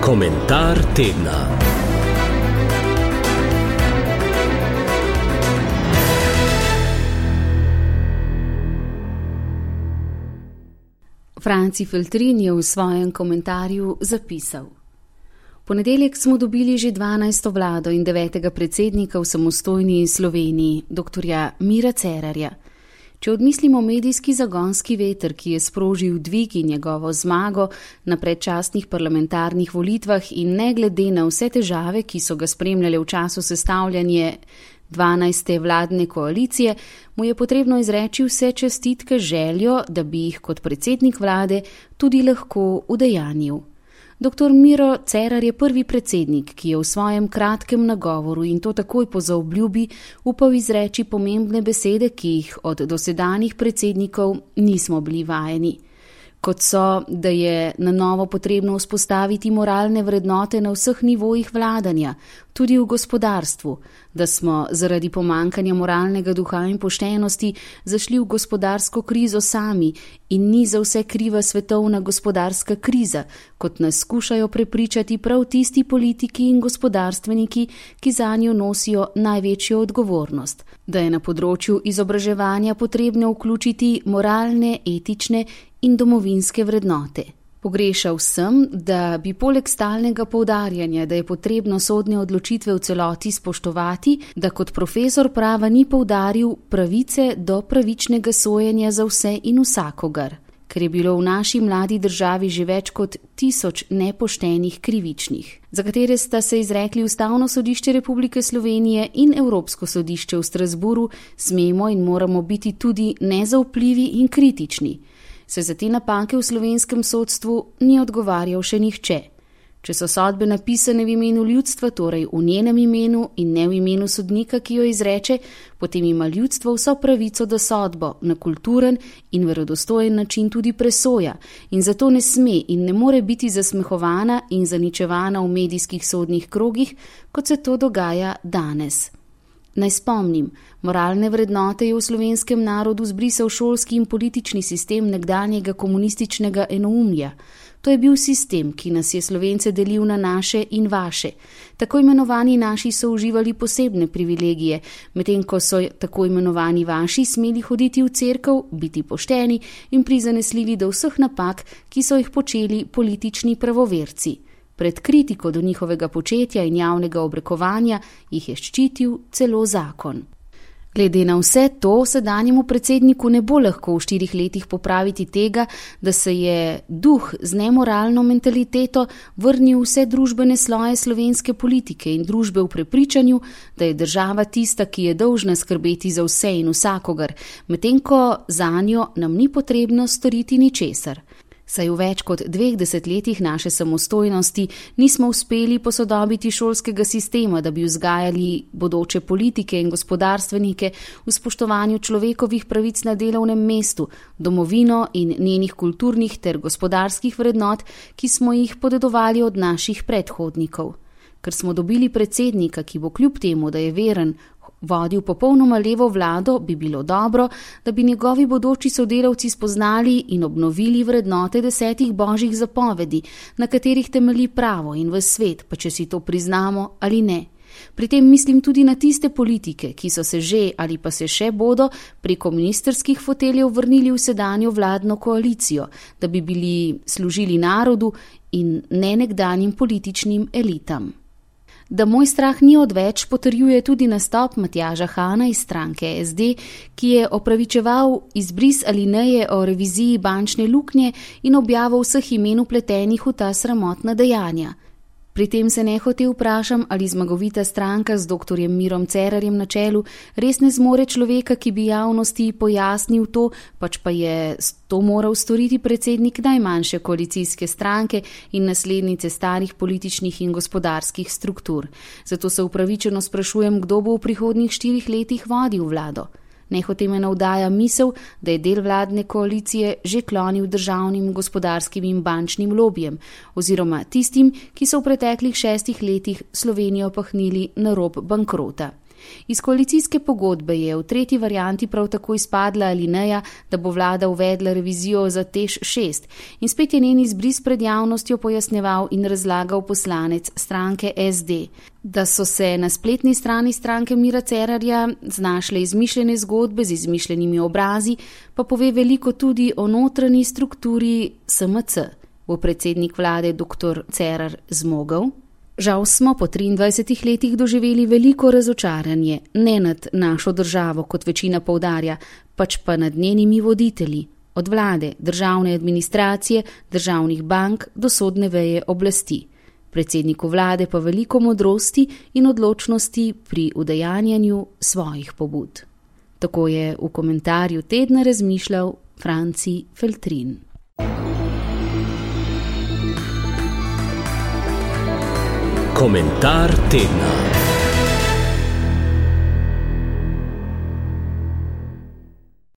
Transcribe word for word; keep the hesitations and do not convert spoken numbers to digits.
Komentar tedna. Franci Feltrin je v svojem komentarju zapisal: V ponedeljek smo dobili že dvanajsto vlado in devetega predsednika v samostojni Sloveniji, doktorja Mira Cerarja. Če odmislimo medijski zagonski veter, ki je sprožil dvig in njegovo zmago na predčasnih parlamentarnih volitvah in ne glede na vse težave, ki so ga spremljale v času sestavljanja dvanajste vladne koalicije, mu je potrebno izreči vse čestitke željo, da bi jih kot predsednik vlade tudi lahko udejanjil. Doktor Miro Cerar je prvi predsednik, ki je v svojem kratkem nagovoru in to takoj po zaobljubi upal izreči pomembne besede, ki jih od dosedanjih predsednikov nismo bili vajeni. Kot so, da je na novo potrebno vzpostaviti moralne vrednote na vseh nivojih vladanja, tudi v gospodarstvu, da smo zaradi pomankanja moralnega duha in poštenosti zašli v gospodarsko krizo sami in ni za vse kriva svetovna gospodarska kriza, kot nas skušajo prepričati prav tisti politiki in gospodarstveniki, ki zanjo nosijo največjo odgovornost, da je na področju izobraževanja potrebno vključiti moralne, etične in domovinske vrednote. Pogrešal sem, da bi poleg stalnega poudarjanja, da je potrebno sodne odločitve v celoti spoštovati, da kot profesor prava ni poudaril pravice do pravičnega sojenja za vse in vsakogar, ker je bilo v naši mladi državi že več kot tisoč nepoštenih krivičnih, za katere sta se izrekli Ustavno sodišče Republike Slovenije in Evropsko sodišče v Strasburu, smemo in moramo biti tudi nezaupljivi in kritični. Se za te napake v slovenskem sodstvu ni odgovarjal še nihče. Če so sodbe napisane v imenu ljudstva, torej v njenem imenu in ne v imenu sodnika, ki jo izreče, potem ima ljudstvo vso pravico do sodbo na kulturen in verodostojen način tudi presoja in zato ne sme in ne more biti zasmehovana in zaničevana v medijskih sodnih krogih, kot se to dogaja danes. Naj spomnim, moralne vrednote je v slovenskem narodu zbrisal šolski in politični sistem nekdanjega komunističnega enoumja. To je bil sistem, ki nas je Slovence delil na naše in vaše. Tako imenovani naši so uživali posebne privilegije, medtem ko so tako imenovani vaši smeli hoditi v cerkev, biti pošteni in prizanesljivi do vseh napak, ki so jih počeli politični pravoverci. Pred kritiko do njihovega početja in javnega obrekovanja jih je ščitil celo zakon. Glede na vse to, sedanjemu predsedniku ne bo lahko v štirih letih popraviti tega, da se je duh z nemoralno mentaliteto vrnil vse družbene sloje slovenske politike in družbe v prepričanju, da je država tista, ki je dolžna skrbeti za vse in vsakogar, medtem ko zanjo nam ni potrebno storiti ničesar. Saj v več kot dveh desetletjih naše samostojnosti nismo uspeli posodobiti šolskega sistema, da bi vzgajali bodoče politike in gospodarstvenike v spoštovanju človekovih pravic na delovnem mestu, domovino in njenih kulturnih ter gospodarskih vrednot, ki smo jih podedovali od naših predhodnikov. Ker smo dobili predsednika, ki bo kljub temu, da je veren, vodil popolnoma levo vlado, bi bilo dobro, da bi njegovi bodoči sodelavci spoznali in obnovili vrednote desetih božjih zapovedi, na katerih temelji pravo in v svet, pa če si to priznamo ali ne. Pri tem mislim tudi na tiste politike, ki so se že ali pa se še bodo preko ministrskih foteljev vrnili v sedanjo vladno koalicijo, da bi bili služili narodu in ne nekdanjim političnim elitam. Da moj strah ni odveč, potrjuje tudi nastop Matjaža Hana iz stranke es de, ki je opravičeval izbris alineje o reviziji bančne luknje in objavo vseh imen vpletenih v ta sramotna dejanja. Pri tem se nehote vprašam, ali zmagovita stranka z doktorjem Mirom Cerarjem na čelu res ne zmore človeka, ki bi javnosti pojasnil to, pač pa je to moral storiti predsednik najmanjše koalicijske stranke in naslednice starih političnih in gospodarskih struktur. Zato se upravičeno sprašujem, kdo bo v prihodnjih štirih letih vodil vlado. Nehote me navdaja misel, da je del vladne koalicije že klonil državnim, gospodarskim in bančnim lobijem, oziroma tistim, ki so v preteklih šestih letih Slovenijo pahnili na rob bankrota. Iz koalicijske pogodbe je v tretji varianti prav tako izpadla alineja, da bo vlada uvedla revizijo za T E Š šest in spet je njen izbris pred javnostjo pojasnjeval in razlagal poslanec stranke S D. Da so se na spletni strani stranke Mira Cerarja znašle izmišljene zgodbe z izmišljenimi obrazi, pa pove veliko tudi o notranji strukturi S M C. Bo predsednik vlade doktor Cerar zmogel? Žal smo po triindvajsetih letih doživeli veliko razočaranje, ne nad našo državo, kot večina poudarja, pač pa nad njenimi voditelji, od vlade, državne administracije, državnih bank do sodne veje oblasti. Predsedniku vlade pa veliko modrosti in odločnosti pri udejanjanju svojih pobud. Tako je v komentarju tedna razmišljal Franci Feltrin. Komentar tedna.